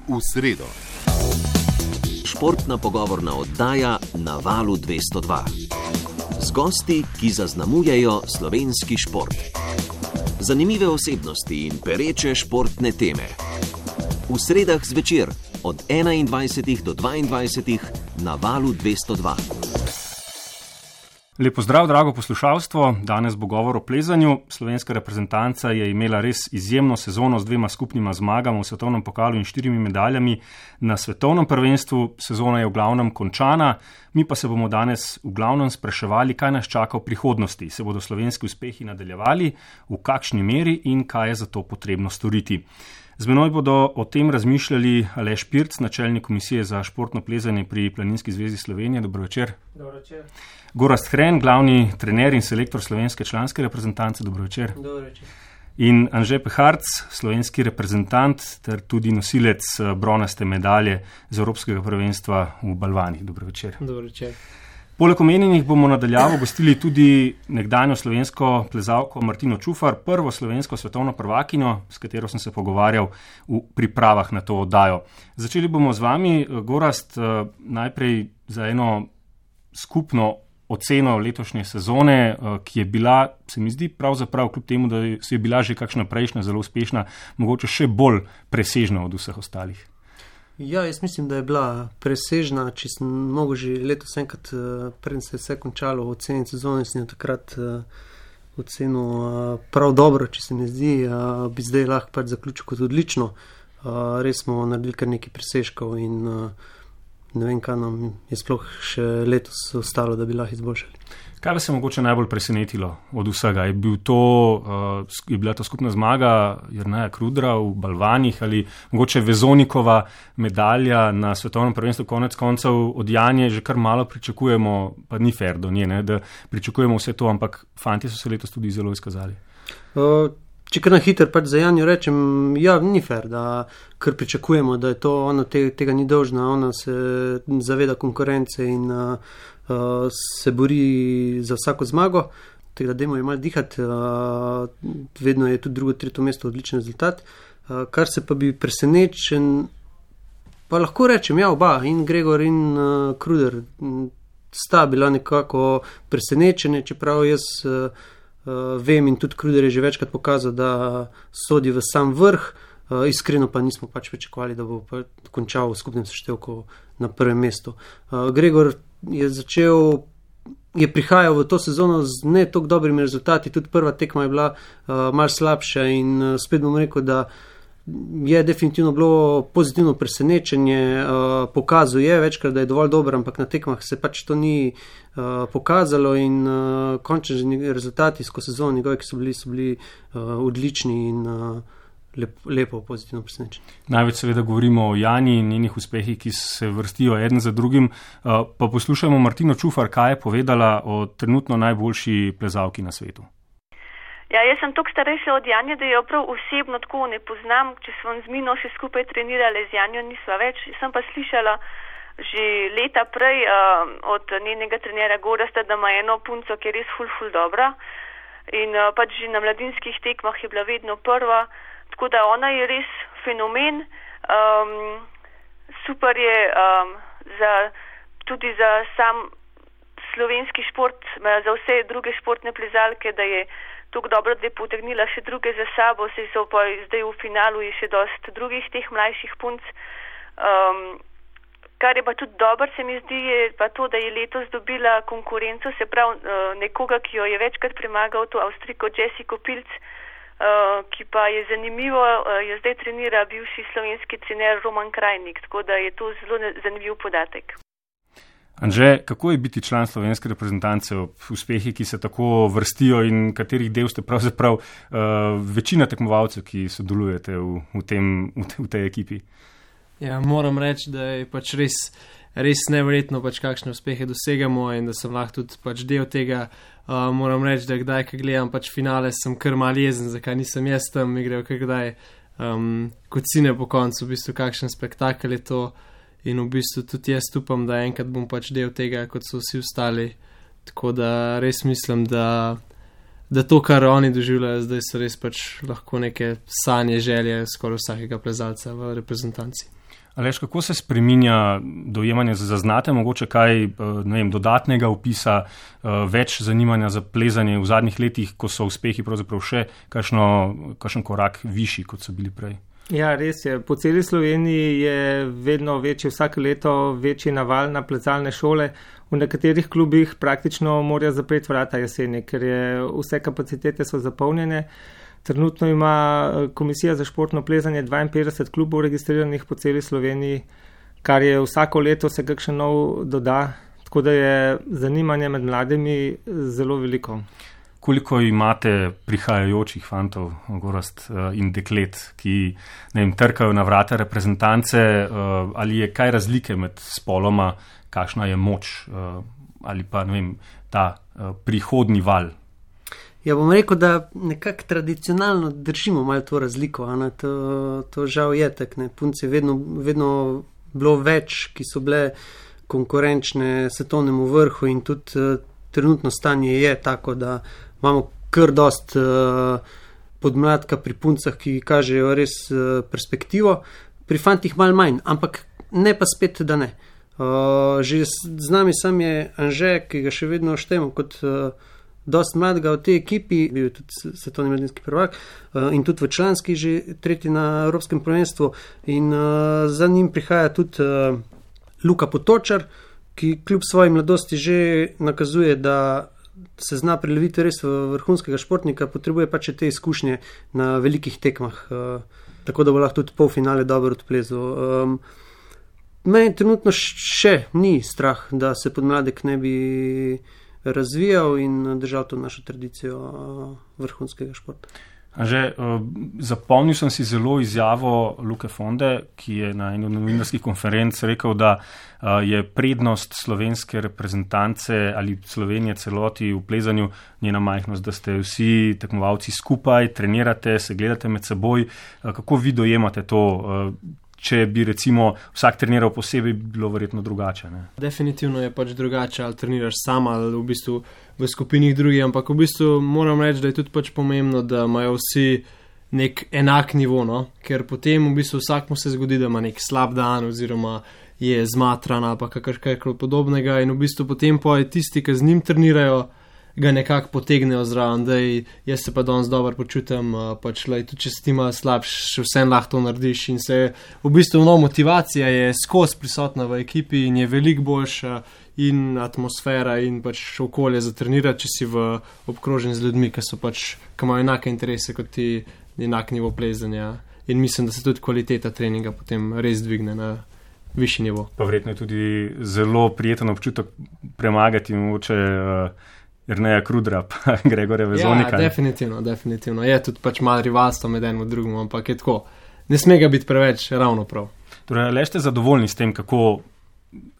v sredo. Športna pogovorna oddaja na Valu 202. Z gosti, ki zaznamujejo slovenski šport. Zanimive osebnosti in pereče športne teme. V sredah zvečer od 21. do 22. na Valu 202. Lep pozdrav, drago poslušalstvo. Danes bo govor o plezanju. Slovenska reprezentanca je imela res izjemno sezono z 2 skupnima zmagama v svetovnem pokalu in 4 medaljami na svetovnem prvenstvu. Sezona je v glavnem končana. Mi pa se bomo danes v glavnem spraševali, kaj nas čaka v prihodnosti. Se bodo slovenski uspehi nadaljevali, v kakšni meri in kaj je za to potrebno storiti. Z menoj bodo o tem razmišljali Aleš Pirc, načelnik komisije za športno plezanje pri Planinski zvezi Slovenije. Dobro večer. Dobro večer. Gorazd Hren, glavni trener in selektor slovenske članske reprezentance. Dobro večer. Dobro večer. In Anže Peharc, slovenski reprezentant ter tudi nosilec bronaste medalje z Evropskega prvenstva v balvanih. Dobro večer. Dobro večer. Poleg omenjenih bomo nadaljavo gostili tudi nekdanjo slovensko plezalko Martino Čufar, prvo slovensko svetovno prvakinjo, s katero sem se pogovarjal v pripravah na to oddajo. Začeli bomo z vami, Gorazd, najprej za eno skupno oceno letošnje sezone, ki je bila, se mi zdi pravzaprav, kljub temu, da je bila že kakšna prejšnja zelo uspešna, mogoče še bolj presežna od vseh ostalih. Ja, jaz mislim, da je bila presežna, če sem mogel že letos enkrat, preden se je vse končalo, oceniti sezone, sem jo takrat ocenil prav dobro, če se mi zdi, bi zdaj lahko pač zaključil kot odlično. Res smo naredili kar nekaj presežkov in ne vem, kaj nam je sploh še letos ostalo, da bi lahko izboljšali. Kaj vas je mogoče najbolj presenetilo od vsega? Je bila to skupna zmaga Jerneja Krudra v balvanih ali mogoče Vezonikova medalja na svetovnem prvenstvu? Konec koncev od Janje že kar malo pričakujemo, pa ni fair do nje, ne, da pričakujemo vse to, ampak fantje so se letos tudi zelo izkazali. Če kar na hiter pač za Janjo rečem, ja, ni fair, da kar pričakujemo, da je to ona tega ni dolžna, ona se zaveda konkurence in se bori za vsako zmago, tega dajmo je malo dihati, vedno je tudi drugo, tretje mesto odličen rezultat. Kar se pa bi presenečen, pa lahko rečem, ja, oba, in Gregor in Kruder sta bila nekako presenečene, čeprav jaz vem in tudi Kruder je že večkrat pokazal, da sodi v sam vrh, iskreno pa nismo pač pričakovali, da bo pa končal v skupnem seštevku na prvem mestu. Gregor je prihajal v to sezono z ne toliko dobrimi rezultati, tudi prva tekma je bila malo slabša in spet bom rekel, da je definitivno bilo pozitivno presenečenje, pokazal je večkrat, da je dovolj dober, ampak na tekmah se pač to ni pokazalo in končni rezultati skozi sezono njegove, ki so bili odlični in lepo, pozitivno presenečenje. Največ seveda govorimo o Jani in njenih uspehih, ki se vrstijo eden za drugim, pa poslušajmo Martino Čufar, kaj je povedala o trenutno najboljši plezalki na svetu. Ja, jaz sem toliko starejša od Janje, da jo prav osebno tako ne poznam, če smo z Mino še skupaj trenirali, z Janjo nisva več. Sem pa slišala že leta prej od njenega trenera Gorazda, da ima eno punco, ki je res ful dobra in pač že na mladinskih tekmah je bila vedno prva, tako da ona je res fenomen. Super je tudi za sam slovenski šport, za vse druge športne plezalke, da je tako dobro, da je potegnila še druge za sabo, se so pa zdaj v finalu je še dosti drugih teh mlajših punc. Kar je pa tudi dobro, se mi zdi, je pa to, da je letos dobila konkurenco, se pravi nekoga, ki jo je večkrat premagal, to Avstrijko Jessico Pilc, ki pa je zanimivo, jo zdaj trenira bivši slovenski trener Roman Krajnik, tako da je to zelo zanimiv podatek. Anže, kako je biti član slovenske reprezentance ob uspehih, ki se tako vrstijo in katerih del ste pravzaprav večina tekmovalcev, ki sodelujete v tej ekipi? Ja, moram reči, da je pač res neverjetno, pač kakšne uspehe dosegamo in da sem lahko tudi pač del tega. Moram reči, da kdaj, ko gledam pač finale, sem kar mal jezen, zakaj nisem jaz tam igral, kaj kdaj kot sine po koncu, v bistvu kakšen spektakel je to. In v bistvu tudi jaz upam, da enkrat bom pač del tega, kot so vsi ostali. Tako da res mislim, da da to, kar oni doživljajo, zdaj so res pač lahko neke sanje, želje skoraj vsakega plezalca v reprezentanci. Aleš, kako se spreminja dojemanje, zaznate mogoče kaj, ne vem, dodatnega opisa, več zanimanja za plezanje v zadnjih letih, ko so uspehi pravzaprav še kakšen korak višji, kot so bili prej? Ja, res je. Po celi Sloveniji je vedno večji, vsako leto večji naval na plezalne šole. V nekaterih klubih praktično morajo zapreti vrata jeseni, ker vse kapacitete so zapolnjene. Trenutno ima Komisija za športno plezanje 52 klubov registriranih po celi Sloveniji, kar je vsako leto se kakšen nov doda, tako da je zanimanje med mladimi zelo veliko. Koliko imate prihajajočih fantov, Gorazd, in deklet, ki, ne vem, trkajo na vrata reprezentance, ali je kaj razlike med spoloma, kakšna je moč, ali pa, ne vem, ta prihodni val? Ja, bom rekel, da nekako tradicionalno držimo malo to razliko, to žal je tak, ne, punce vedno bilo več, ki so bile konkurenčne svetovnemu vrhu in tudi trenutno stanje je tako, da imamo kar dost podmladka pri puncah, ki kažejo res perspektivo, pri fantih malo manj, ampak ne pa spet, da ne. Že z nami sam je Anže, ki ga še vedno štejemo kot dost mladega v tej ekipi, bil je tudi svetovni mladinski prvak in tudi v članski, že tretji na Evropskem prvenstvu in za njim prihaja tudi Luka Potočar, ki kljub svoji mladosti že nakazuje, da se zna preleviti res v vrhunskega športnika, potrebuje pač te izkušnje na velikih tekmah, tako da bo lahko tudi polfinale dobro odplezal. Meni trenutno še ni strah, da se podmladek ne bi razvijal in držal to našo tradicijo vrhunskega športa. Že zapomnil sem si zelo izjavo Luke Fonde, ki je na eni od novinarskih konferenc rekel, da je prednost slovenske reprezentance ali Slovenije celoti v plezanju njena majhnost, da ste vsi tekmovalci skupaj, trenirate, se gledate med seboj. Kako vi dojemate to? Če bi recimo vsak treniral posebej, bi bilo verjetno drugače. Ne? Definitivno je pač drugače, ali treniraš sam ali v bistvu v skupinih drugih, ampak v bistvu moram reči, da je tudi pač pomembno, da imajo vsi nek enak nivo, no? Ker potem v bistvu vsakmu se zgodi, da ima nek slab dan oziroma je zmatran ali pa kakrškaj podobnega in v bistvu potem pa tisti, ki z njim trenirajo, ga nekako potegnejo zraven, da jaz se pa danes dobro počutim, pač tudi če si ti malo slabš, še vsem lahko to narediš in se v bistvu motivacija je skozi prisotna v ekipi in je veliko boljša in atmosfera in pač okolje za trenirati, če si obkrožen z ljudmi, ki imajo enake interese kot ti, enak nivo plezanja in mislim, da se tudi kvaliteta treninga potem res dvigne na višji nivo. Pa verjetno je tudi zelo prijeten občutek premagati mogoče Jerneja Krudra, pa Gregorja Vezonika. Ja, definitivno. Je tudi pač malo rivalstvo med enim in drugim, ampak je tako. Ne sme ga biti preveč ravno prav. Torej, ali ste zadovoljni s tem, kako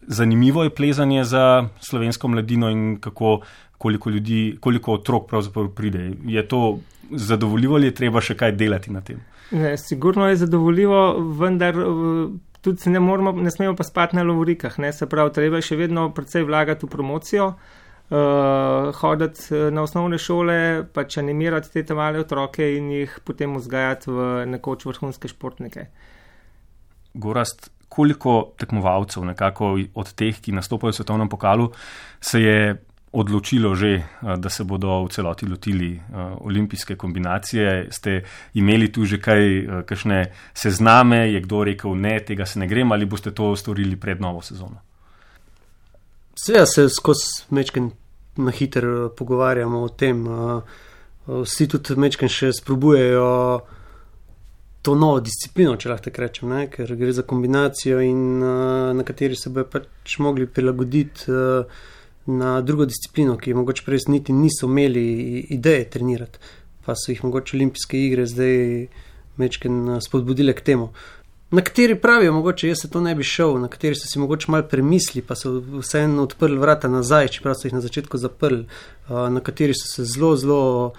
zanimivo je plezanje za slovensko mladino in koliko otrok pravzaprav pride? Je to zadovoljivo ali je treba še kaj delati na tem? Ne, sigurno je zadovoljivo, vendar tudi ne smemo pa spati na lovorikah. Se pravi, treba še vedno precej vlagati v promocijo, hoditi na osnovne šole, pač animirati te male otroke in jih potem vzgajati v nekoč vrhunske športnike. Gorazd, koliko tekmovalcev nekako od teh, ki nastopajo v svetovnem pokalu, se je odločilo že, da se bodo v celoti lotili olimpijske kombinacije? Ste imeli tu že kakšne sezname, je kdo rekel ne, tega se ne grem, ali boste to storili pred novo sezono? Seveda se skozi mečken na hiter pogovarjamo o tem. Vsi tudi mečken še sprobujejo to novo disciplino, če lahko tako rečem, ne? Ker gre za kombinacijo in na kateri se bojo pač mogli prilagoditi na drugo disciplino, ki mogoče prej niti niso imeli ideje trenirati, pa so jih mogoče olimpijske igre zdaj mečken spodbudile k temu. Na kateri pravijo, mogoče jaz se to ne bi šel, na kateri so si mogoče malo premisli, pa so vseeno odprli vrata nazaj, čeprav so jih na začetku zaprli, na kateri so se zelo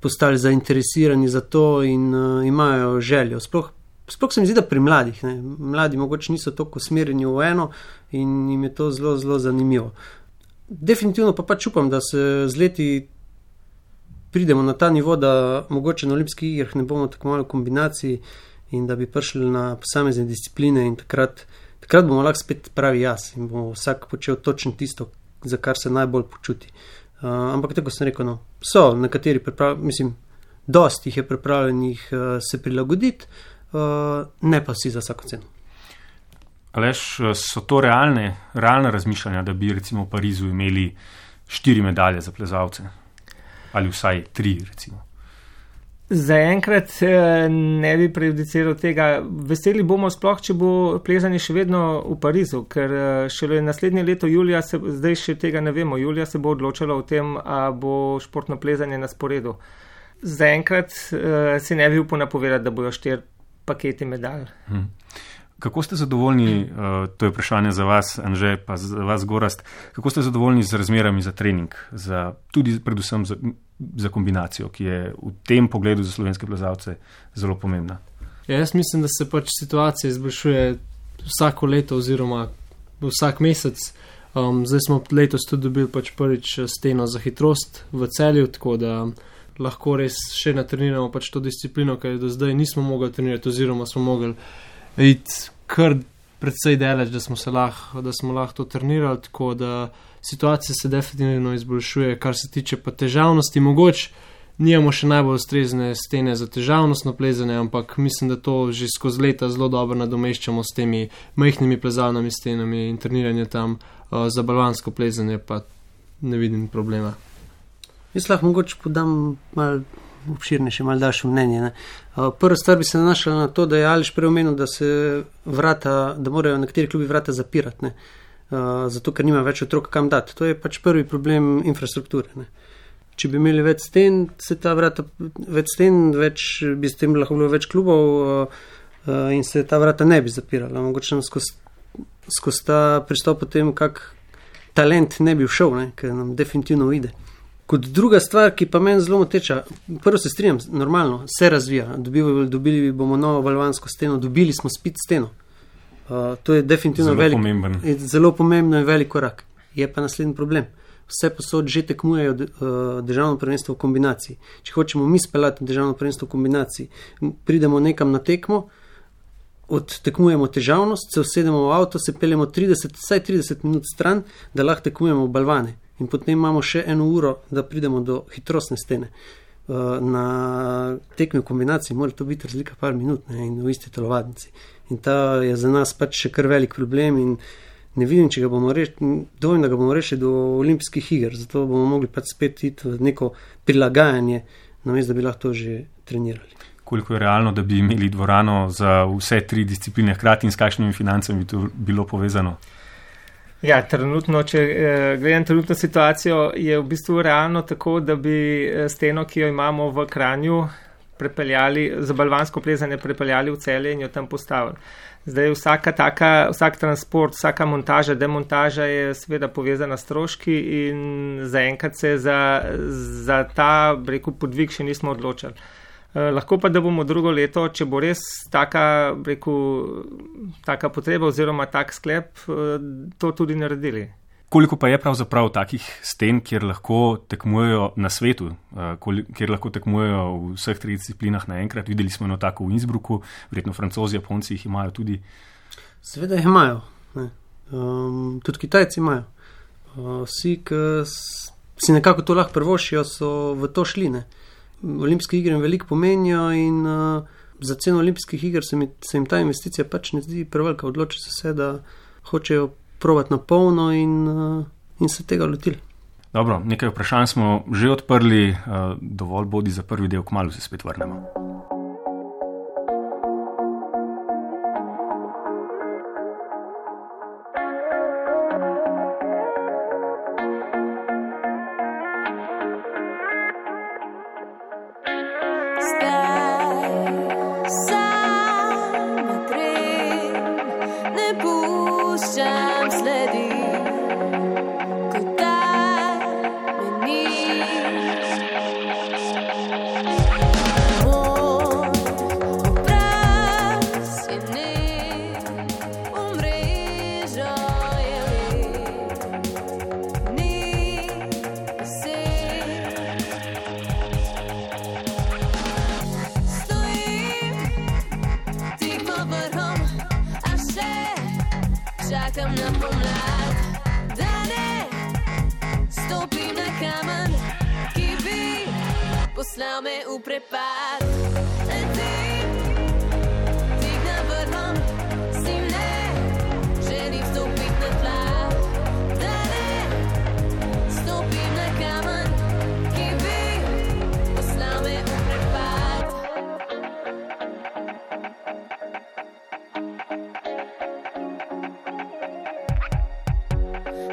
postali zainteresirani za to in imajo željo. Sploh se mi zdi, da pri mladih, ne? Mladi mogoče niso toliko usmerjeni v eno in jim je to zelo zanimivo. Definitivno pa pač upam, da se z leti pridemo na ta nivo, da mogoče na olimpijskih igrah ne bomo tako malo v kombinaciji in da bi prišli na posamezne discipline in takrat bomo lahko spet pravi jaz in bomo vsak počel točno tisto, za kar se najbolj počuti. Ampak tako sem rekel, so nekateri dosti jih je pripravljenih se prilagoditi, ne pa vsi za vsako ceno. Aleš, so to realne razmišljanja, da bi recimo v Parizu imeli 4 medalje za plezalce? Ali vsaj 3 recimo? Zaenkrat ne bi prejudiciral tega. Veseli bomo sploh, če bo plezanje še vedno v Parizu, ker šele naslednje leto julija, zdaj še tega ne vemo, julija se bo odločalo o tem, a bo športno plezanje na sporedu. Zaenkrat si ne bi upal napovedati, da bojo 4 paketi medalj. Kako ste zadovoljni, to je vprašanje za vas, Anže, pa za vas, Gorazd, kako ste zadovoljni z razmerami za trening, tudi predvsem za kombinacijo, ki je v tem pogledu za slovenske plezalce zelo pomembna? Jaz mislim, da se situacija izboljšuje vsako leto oziroma vsak mesec. Zdaj smo letos tudi dobili prvič steno za hitrost v Celju, tako da lahko res še natreniramo to disciplino, ker do zdaj nismo mogli trenirati oziroma smo mogli iti kar predvsej daleč, da smo lahko to trenirali, tako da situacija se definitivno izboljšuje. Kar se tiče pa težavnosti, mogoče nimamo še najbolj ustrezne stene za težavnostno plezanje, ampak mislim, da to že skozi leta zelo dobro nadomeščamo s temi majhnimi plezalnimi stenami in treniranje tam za balvansko plezanje, pa ne vidim problema. Jaz lahko mogoče podam malo obširnejše, malo daljše mnenje. Prva stvar bi se nanašala na to, da je Aleš prej omenil, da morajo nekateri klubi vrata zapirati, zato ker nima več otrok kam dati. To je prvi problem infrastrukture. Če bi imeli več sten, bi s tem lahko bilo več klubov in se ta vrata ne bi zapirala. Mogoče nam skozi ta pristop potem kak talent ne bi všel, ker nam definitivno ide. Kot druga stvar, ki pa meni zelo moteča, prvo se strinjam, normalno, se razvija. Dobili bomo novo balvansko steno, dobili smo spit steno. To je definitivno zelo pomembno in velik korak. Je pa naslednji problem. Vse posod že tekmujejo državno prvenstvo v kombinaciji. Če hočemo mi speljati državno prvenstvo v kombinaciji, pridemo nekam na tekmo, odtekmujemo težavnost, se usedemo v avto, se peljemo vsaj 30 minut stran, da lahko tekmujemo v balvane. In potem imamo še 1 uro, da pridemo do hitrostne stene. Na tekmi v kombinaciji mora to biti razlika par minut in v isti telovadnici. In ta je za nas še kar velik problem in ne vidim, če ga bomo rešili do olimpijskih iger. Zato bomo mogli spet iti v neko prilagajanje, namesto da bi lahko to že trenirali. Koliko je realno, da bi imeli dvorano za vse 3 discipline hkrati in s kakšnimi financami bi to bilo povezano? Ja, trenutno, če gledam trenutno situacijo, je v bistvu realno tako, da bi steno, ki jo imamo v Kranju, za balvansko plezanje prepeljali v Celje in jo tam postavili. Zdaj vsak transport, vsaka montaža, demontaža je seveda povezana s stroški in zaenkrat se za ta podvig še nismo odločili. Lahko pa, da bomo drugo leto, če bo res taka potreba oziroma tak sklep, to tudi naredili. Koliko pa je pravzaprav takih sten, kjer lahko tekmujejo na svetu, kjer lahko tekmujejo v vseh 3 disciplinah naenkrat? Videli smo eno tako v Innsbrucku, verjetno Francozi, Japonci jih imajo tudi. Seveda jih imajo. Tudi Kitajci imajo. Vsi, ki si nekako to lahko privoščijo, so v to šli. Olimpijske igre veliko pomenijo in za ceno olimpijskih iger se jim ta investicija ne zdi prevelika. Odločijo se, da hočejo probati na polno in se tega lotili. Dobro, nekaj vprašanj smo že odprli, dovolj bodi za prvi del, kmalu se spet vrnemo. čakam na pomlad, da ne stopim na kamen, ki bi poslal me v prepad. Letim tik na vrhom, si ne želim stopit na tla, da ne stopim na kamen, ki bi poslal me v prepad.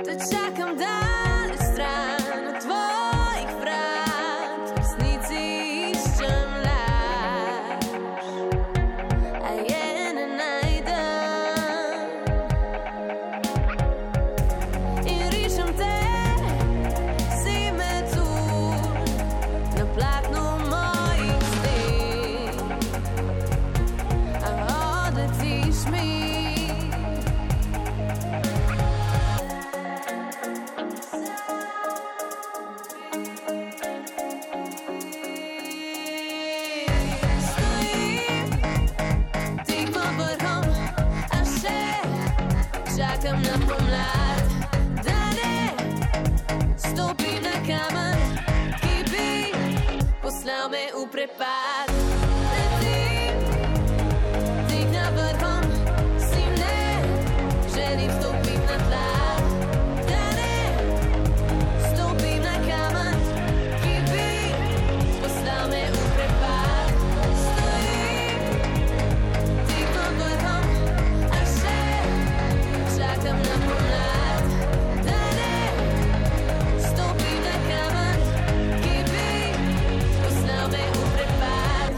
Te čakam daleč stran od tvojih vrat, v resnici iščem laž, a je ne najdem. In rišem te, si metulj na platnu mojih sten, a odletiš mi. Čakam na pomlad, da ne stopim na kamen, ki bi poslal me v prepad. Letim tik na vrhom, si ne želim stopit na tla, da ne stopim na kamen, ki bi poslal me v prepad. Stojim tik na vrhom, a še čakam na pomlad, da ne stopim na kamen, ki bi poslal me v prepad.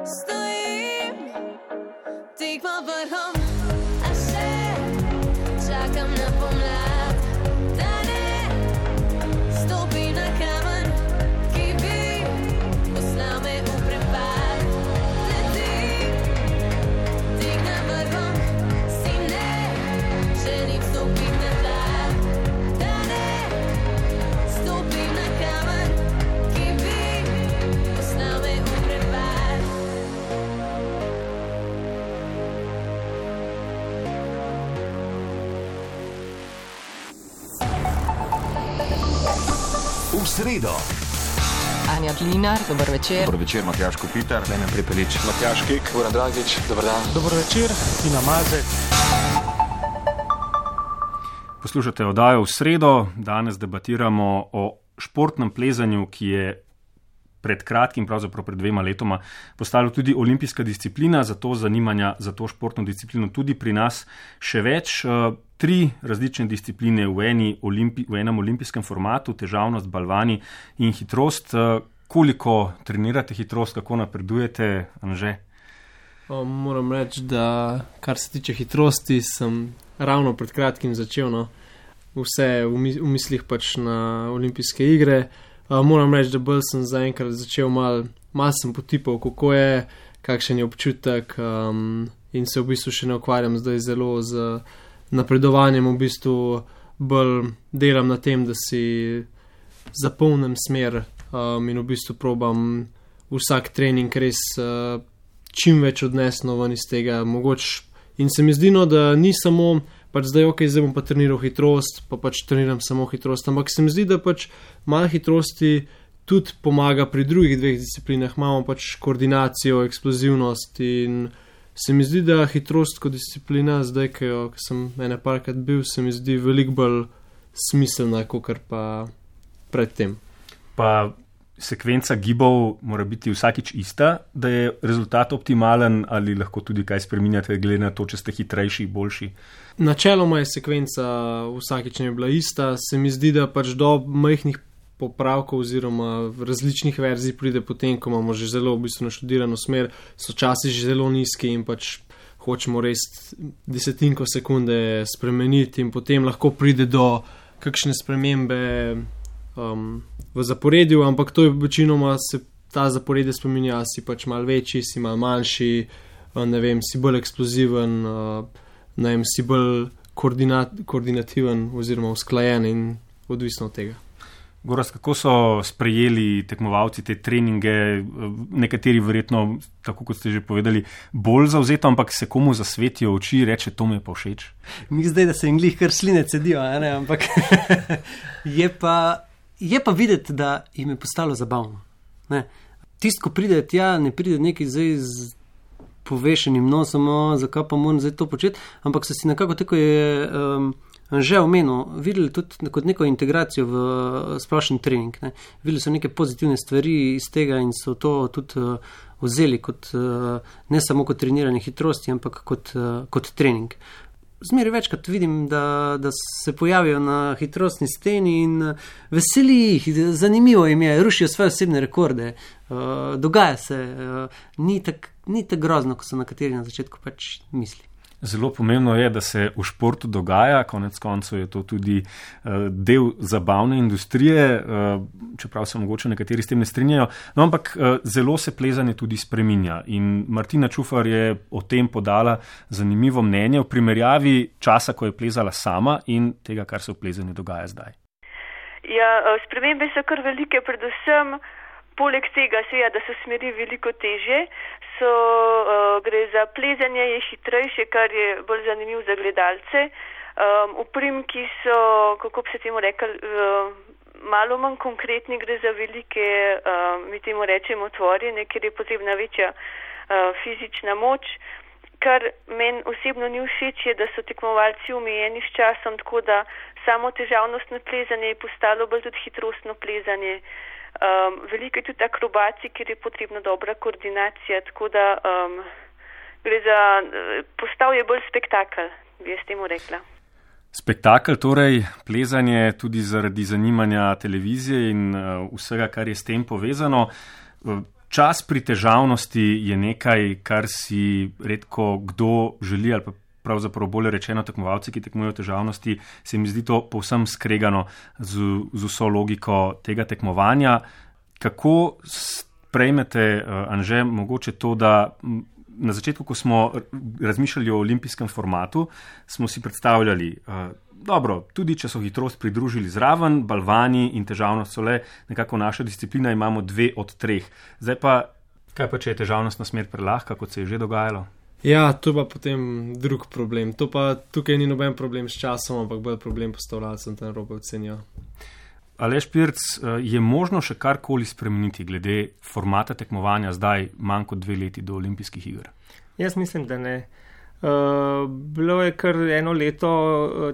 Stojim tik pod vrhom, a še čakam na pomlad, da ne stopim na kamen, ki bi poslal me v prepad. Letim tik na vrhom, si ne želim stopit na tla, da ne stopim na kamen, ki bi poslal me v prepad. V sredo. Anja Klinar, dober večer. Dober večer, Matjaž Kopitar, Klemen Prepelič, Matjaž Kek, Goran Dragič, dober dan. Dober večer, Tina Mazek. Poslušate oddajo V sredo. Danes debatiramo o športnem plezanju, ki je pred kratkim, pravzaprav pred 2 letoma, postalo tudi olimpijska disciplina, zato zanimanja za to športno disciplino tudi pri nas še več. 3 različne discipline v enem olimpijskem formatu, težavnost, balvani in hitrost. Koliko trenirate hitrost, kako napredujete, Anže? Moram reči, da kar se tiče hitrosti, sem ravno pred kratkim začel, no, vse v mislih pač na olimpijske igre. Moram reči, da bolj sem zaenkrat začel malo sem potipal, kako je, kakšen je občutek, in se v bistvu še ne ukvarjam zdaj zelo z napredovanjem, v bistvu bolj delam na tem, da si zapolnim smer, in v bistvu probam vsak trening res čim več odnesno ven iz tega mogoče. In se mi zdi, no, da ni samo pač zdaj, zdaj bom pa treniral hitrost, pa pač treniram samo hitrost, ampak se mi zdi, da pač malo hitrosti tudi pomaga pri drugih 2 disciplinah. Imamo pač koordinacijo, eksplozivnost in se mi zdi, da hitrost kot disciplina, zdaj, ko sem ene parkrat bil, se mi zdi veliko bolj smiselna, kakor pa predtem. Pa sekvenca gibov mora biti vsakič ista, da je rezultat optimalen, ali lahko tudi kaj spreminjate, glede na to, če ste hitrejši, boljši? Načeloma je sekvenca vsakič ne bila ista. Se mi zdi, da pač do majhnih popravkov oziroma različnih verzij pride potem, ko imamo že zelo v bistvu naštudirano smer, so časi že zelo nizki in pač hočemo res desetinko sekunde spremeniti in potem lahko pride do kakšne spremembe v zaporedju, ampak to je večinoma se ta zaporedje spreminja, si pač malo večji, si malo manjši, ne vem, si bolj eksploziven, ne vem, si bolj koordinativen oziroma usklajen in odvisno od tega. Gorazd, kako so sprejeli tekmovalci te treninge, nekateri verjetno, tako kot ste že povedali, bolj zavzeto, ampak se komu zasvetijo oči, reče, to mi je pa všeč? Mi zdaj, da se jim glih kar sline cedijo, ne? Ampak je pa videti, da jim je postalo zabavno. Tisti, ko pride tja, ne pride nekaj zdaj z povešenim nosom, zakaj pa moram zdaj to početi, ampak so si nekako tako je že omenil, videli tudi kot neko integracijo v splošen trening. Videli so neke pozitivne stvari iz tega in so to tudi vzeli kot, ne samo kot treniranje hitrosti, ampak kot trening. Zmeraj večkrat vidim, da se pojavijo na hitrostni steni in veseli jih, zanimivo jim je, rušijo svoje osebne rekorde, dogaja se, ni tako grozno, ko so nekateri na začetku pač misli. Zelo pomembno je, da se v športu dogaja, konec koncev je to tudi del zabavne industrije, čeprav se mogoče nekateri s tem ne strinjajo, no, ampak zelo se plezanje tudi spreminja in Martina Čufar je o tem podala zanimivo mnenje v primerjavi časa, ko je plezala sama in tega, kar se v plezanju dogaja zdaj. Ja, spremembe so kar velike, predvsem poleg tega seveda, da so smeri veliko težje, gre za plezanje, je hitrejše, kar je bolj zanimiv za gledalce. Uprimki so, kako bi se temu rekel, malo manj konkretni, gre za velike, mi temu rečemo otvorjene, ker je potrebna večja fizična moč. Kar meni osebno ni všeč, je, da so tekmovalci omejeni s časom, tako da samo težavnostno plezanje je postalo bolj tudi hitrostno plezanje. Veliko je tudi akrobacij, kjer je potrebna dobra koordinacija, tako da gre za, postal je bolj spektakel, bi jaz temu rekla. Spektakel, torej plezanje tudi zaradi zanimanja televizije in vsega, kar je s tem povezano. Čas pri težavnosti je nekaj, kar si redko kdo želi ali pa pravzaprav bolje rečeno tekmovalci, ki tekmujejo v težavnosti, se mi zdi to povsem skregano z vso logiko tega tekmovanja. Kako sprejmete, Anže, mogoče to, da na začetku, ko smo razmišljali o olimpijskem formatu, smo si predstavljali, dobro, tudi če so hitrost pridružili zraven, balvani in težavnost so le nekako naša disciplina, imamo 2 od 3. Zdaj pa, kaj pa, če je težavnostna smer prelahka, kot se je že dogajalo? Ja, to pa potem drug problem. To pa tukaj ni noben problem s časom, ampak bolj problem postavljalcem tam robe ocenijo. Aleš Pirc, je možno še karkoli spremeniti glede formata tekmovanja zdaj manj kot 2 leti do olimpijskih iger? Jaz mislim, da ne. Bilo je kar 1 leto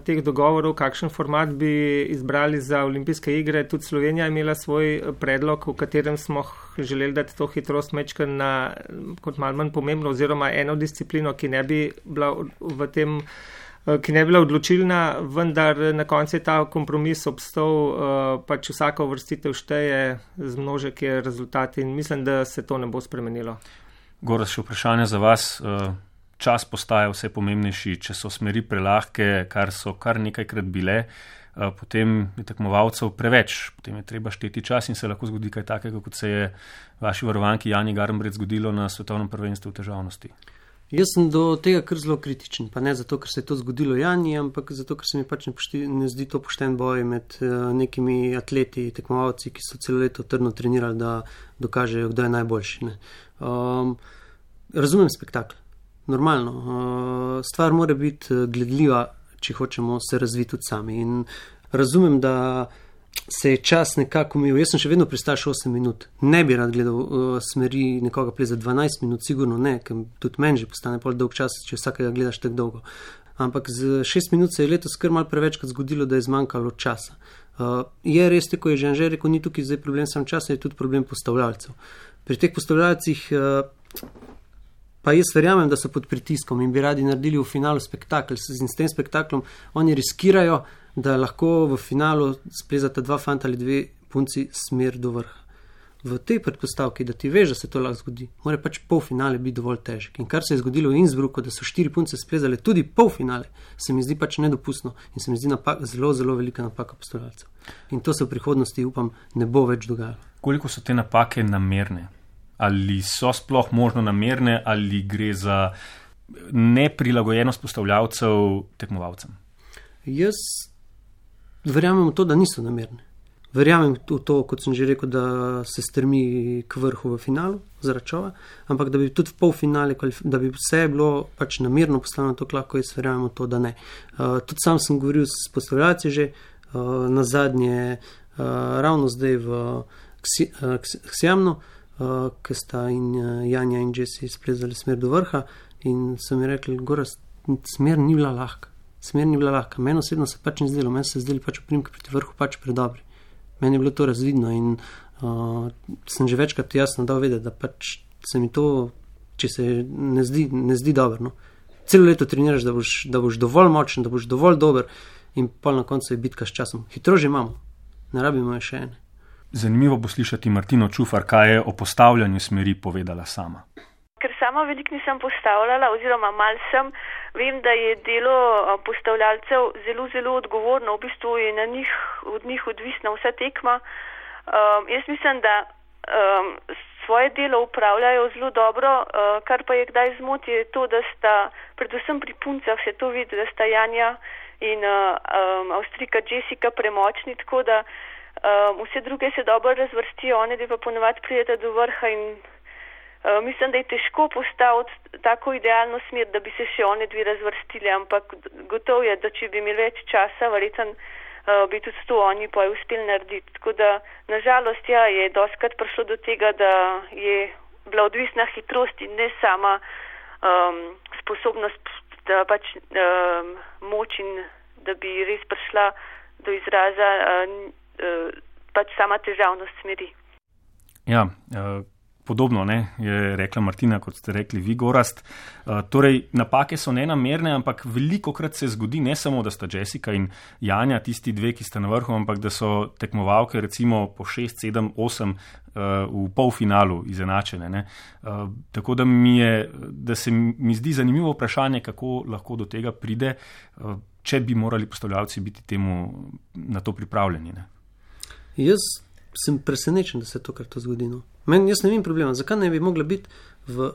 teh dogovorov, kakšen format bi izbrali za olimpijske igre. Tudi Slovenija je imela svoj predlog, v katerem smo želeli dati to hitrost mečka na kot malo manj pomembno oziroma eno disciplino, ki ne bi bila odločilna, vendar na koncu je ta kompromis obstal, pač vsaka uvrstitev šteje, zmnožek je rezultat in mislim, da se to ne bo spremenilo. Gorazd, še vprašanje za vas. Čas postaja vse pomembnejši, če so smeri prelahke, kar so kar nekajkrat bile, potem je tekmovalcev preveč, potem je treba šteti čas in se lahko zgodi kaj takega, kot se je vaši varovanki Jani Garnbret zgodilo na svetovnem prvenstvu v težavnosti. Jaz sem do tega kar zelo kritičen, pa ne zato, ker se je to zgodilo Jani, ampak zato, ker se mi pač ne zdi to pošten boj med nekimi atleti, tekmovalci, ki so celo leto trdno trenirali, da dokažejo, kdo je najboljši. Razumem spektakl. Normalno. Stvar mora biti gledljiva, če hočemo se razviti tudi sami. In razumem, da se je čas nekako umil. Jaz sem še vedno pristaš 8 minut. Ne bi rad gledal smeri nekoga pleza 12 minut, sigurno ne, ker tudi meni že postane pol dolg čas, če vsakega gledaš tako dolgo. Ampak z 6 minut se je letos kar malo prevečkrat zgodilo, da je zmanjkalo časa. Je res, tako je že Anže rekel, ni tukaj zdaj problem sam časa, je tudi problem postavljalcev. Pri teh postavljalcih pa jaz verjamem, da so pod pritiskom in bi radi naredili v finalu spektakl. In s tem spektaklom oni riskirajo, da lahko v finalu splezata 2 fanta ali 2 punci smer do vrha. V tej predpostavki, da ti veš, da se to lahko zgodi, mora pač polfinale biti dovolj težek. In kar se je zgodilo v Innsbrucku, da so 4 punce splezale tudi polfinale, se mi zdi pač nedopustno in se mi zdi zelo, zelo velika napaka postavljalcev. In to se v prihodnosti, upam, ne bo več dogajalo. Koliko so te napake namerne? Ali so sploh možno namerne, ali gre za neprilagojenost postavljalcev tekmovalcem? Jaz verjamem v to, da niso namerni. Verjamem v to, kot sem že rekel, da se stremi k vrhu v finalu zaradi Čova, ampak da bi tudi v polfinale, da bi vse bilo pač namerno poslano, to lahko jaz verjamem v to, da ne. Tudi sam sem govoril s postavljalci že na zadnje, ravno zdaj v Ksjamnu, ki sta in Janja in Jesse splezali smer do vrha in so mi rekli, Gorazd, smer ni bila lahka. Meni osebno se pač ni zdelo, meni se zdeli pač oprimke proti vrhu pač predobri. Meni je bilo to razvidno in sem že večkrat jasno dal vedeti, da pač se mi to, če se ne zdi dobro. No. Celo leto treniraš, da boš dovolj močen, da boš dovolj dober in pol na koncu je bitka s časom. Hitro že imamo, ne rabimo je še ene. Zanimivo bo slišati Martino Čufar, kaj je o postavljanju smeri povedala sama. Ker sama veliko nisem postavljala oziroma mal sem, vem, da je delo postavljalcev zelo, zelo odgovorno, v bistvu je od njih odvisna vsa tekma. Jaz mislim, da svoje delo upravljajo zelo dobro, kar pa je kdaj zmoti, je to, da sta, predvsem pri puncah se to vidi, da sta Janja in Avstrijka Jessica premočni, tako da vse druge se dobro razvrstijo, one da pa ponovadi prijete do vrha in mislim, da je težko postaviti tako idealno smer, da bi se še one dve razvrstili, ampak gotovo je, da če bi imeli več časa, verjetno bi tudi to oni pa uspeli narediti. Tako da, nažalost, ja, je dostikrat prišlo do tega, da je bila odvisna hitrost in ne sama sposobnost, da pač moč in da bi res prišla do izraza pač sama težavnost smeri. Ja, podobno je rekla Martina, kot ste rekli vi, Gorazd. Torej, napake so nenamerne, ampak velikokrat se zgodi, ne samo, da sta Jessica in Janja tisti dve, ki sta na vrhu, ampak da so tekmovalke recimo po 6, 7, 8 v polfinalu izenačene. Ne? Tako da se mi zdi zanimivo vprašanje, kako lahko do tega pride, če bi morali postavljalci biti na to pripravljeni. Ne? Jaz sem presenečen, da se to kar to zgodi. No. Jaz ne vem problema, zakaj ne bi mogla biti v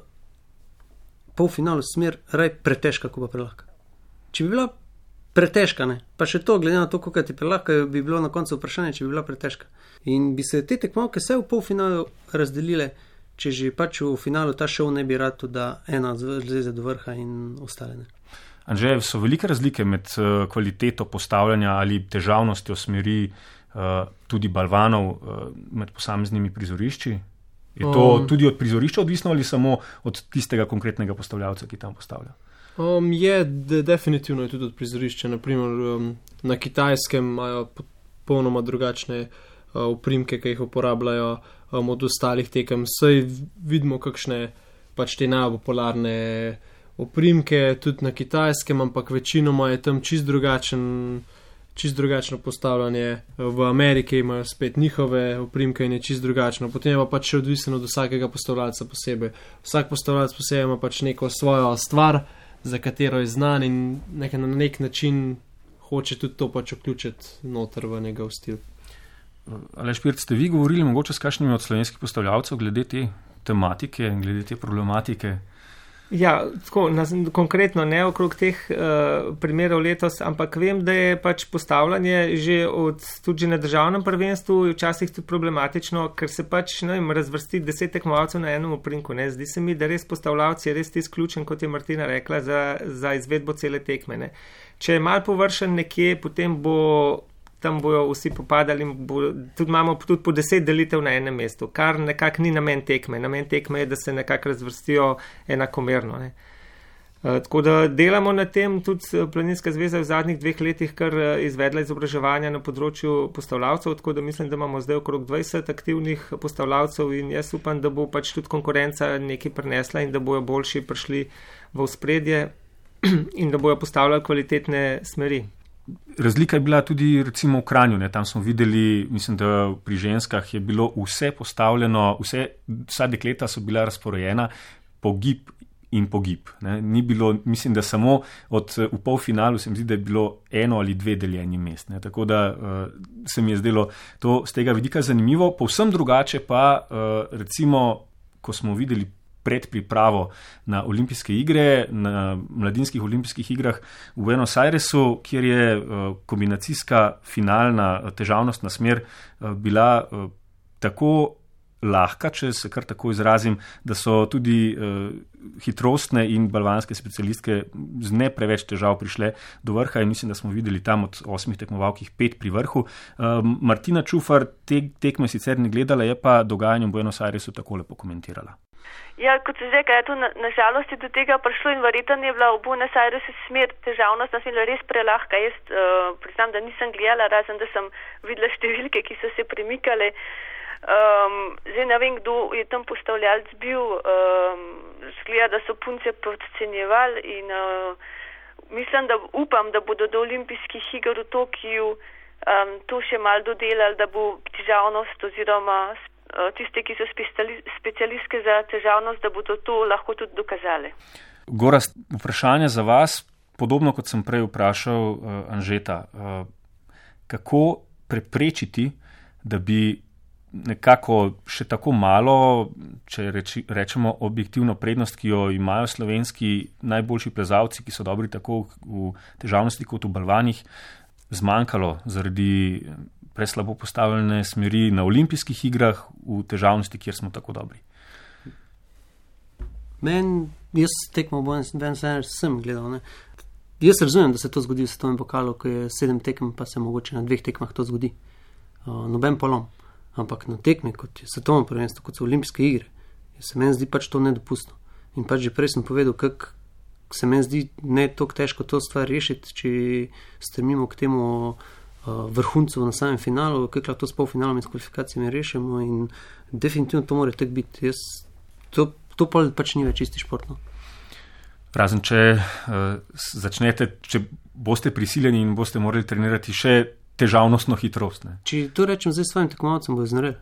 polfinalu smer raj pretežka, ko pa prelahka. Če bi bila pretežka, ne, pa še to, glede na to, koliko ti prelahka, bi bilo na koncu vprašanje, če bi bila pretežka. In bi se te tekmovke vse v polfinalu razdelile, če že pač v finalu ta šov ne bi rad, da ena zleze do vrha in ostale ne. Anže, so velike razlike med kvaliteto postavljanja ali težavnostjo smeri tudi balvanov med posameznimi prizorišči? Je to tudi od prizorišča odvisno ali samo od tistega konkretnega postavljalca, ki tam postavlja? Definitivno je tudi od prizorišča. Naprimer, na Kitajskem imajo popolnoma drugačne oprimke, ki jih uporabljajo od ostalih tekem. Saj vidimo, kakšne pač te najpopularne oprimke tudi na Kitajskem, ampak večinoma je tam čisto drugačno postavljanje. V Ameriki imajo spet njihove oprimke in je čisto drugačno. Potem je pa pač odvisno od vsakega postavljalca posebej. Vsak postavljalec posebej ima pač neko svojo stvar, za katero je znan in na nek način hoče tudi to pač vključiti noter v njegov stil. Aleš Pirc, ste vi govorili mogoče s kakšnimi od slovenskih postavljalcev glede te tematike, glede te problematike? Ja, tako, konkretno ne okrog teh primerov letos, ampak vem, da je pač postavljanje že tudi na državnem prvenstvu včasih tudi problematično, ker se pač razvrsti 10 tekmovalcev na enem oprimku. Zdi se mi, da res postavljavci je res izključen, kot je Martina rekla, za izvedbo cele tekme. Ne. Če je mal površen nekje, potem tam bojo vsi popadali in tudi imamo tudi po 10 delitev na enem mestu, kar nekako ni namen tekme. Namen tekme je, da se nekako razvrstijo enakomerno. Ne. Tako da delamo na tem, tudi Planinska zveza v zadnjih 2 letih kar izvedla izobraževanja na področju postavljavcev, tako da mislim, da imamo zdaj okrog 20 aktivnih postavljavcev in jaz upam, da bo pač tudi konkurenca nekaj prinesla in da bojo boljši prišli v ospredje in da bojo postavljali kvalitetne smeri. Razlika je bila tudi recimo v Kranju, tam smo videli, mislim, da pri ženskah je bilo vse postavljeno, vsa dekleta so bila razporejena po gib in po gib. Ni bilo, mislim, da samo v polfinalu se mi zdi, da je bilo 1 ali 2 deljeni mest. Tako da se mi je zdelo to z tega vidika zanimivo. Povsem drugače pa recimo, ko smo videli predpripravo na olimpijske igre, na mladinskih olimpijskih igrah v Buenos Airesu, kjer je kombinacijska finalna težavnostna smer bila tako lahka, če se kar tako izrazim, da so tudi hitrostne in balvanske specialistke z ne preveč težav prišle do vrha in mislim, da smo videli tam od 8 tekmovalk 5 pri vrhu. Martina Čufar tekme sicer ne gledala, je pa dogajanje v Buenos Airesu takole pokomentirala. Ja, kot se zdaj, to nažalost je do tega prišlo in verjetno je bila v Buenos Airesu smer težavnost, nas je bila res prelahka. Jaz priznam, da nisem gledala, razen da sem videla številke, ki so se premikale. Zdaj ne vem, kdo je tam postavljalc bil, zgleda, da so punce podcenjevali in mislim, da upam, da bodo do olimpijskih iger v Tokiju to še malo dodelali, da bo težavnost oziroma tiste, ki so specialistke za težavnost, da bodo to lahko tudi dokazali. Gorazd, vprašanje za vas, podobno kot sem prej vprašal Anžeta, kako preprečiti, da bi nekako še tako malo, če rečemo objektivno prednost, ki jo imajo slovenski najboljši plezalci, ki so dobri tako v težavnosti kot v balvanih, zmanjkalo zaradi preslabo postavljene smeri na olimpijskih igrah v težavnosti, kjer smo tako dobri. Jaz tekmo sem gledal. Ne? Jaz razumem, da se to zgodi v svetovnem pokalu, ko je 7 tekem, pa se mogoče na 2 tekmah to zgodi. Noben polom. Ampak na tekmi, kot je svetovno prvenstvo, kot so olimpijske igre, se meni zdi pač to nedopustno. In pač že prej sem povedal, kako se meni zdi ne toliko težko to stvar rešiti, če strmimo k temu vrhuncu na samem finalu, kako lahko to s polfinalom in s kvalifikacijami rešimo in definitivno to mora tako biti. To pač ni več isti športno. Razen, če če boste prisiljeni in boste morali trenirati še težavnostno hitrost. Ne? Če to rečem zdaj svojim tekmovalcem, bo iznorel.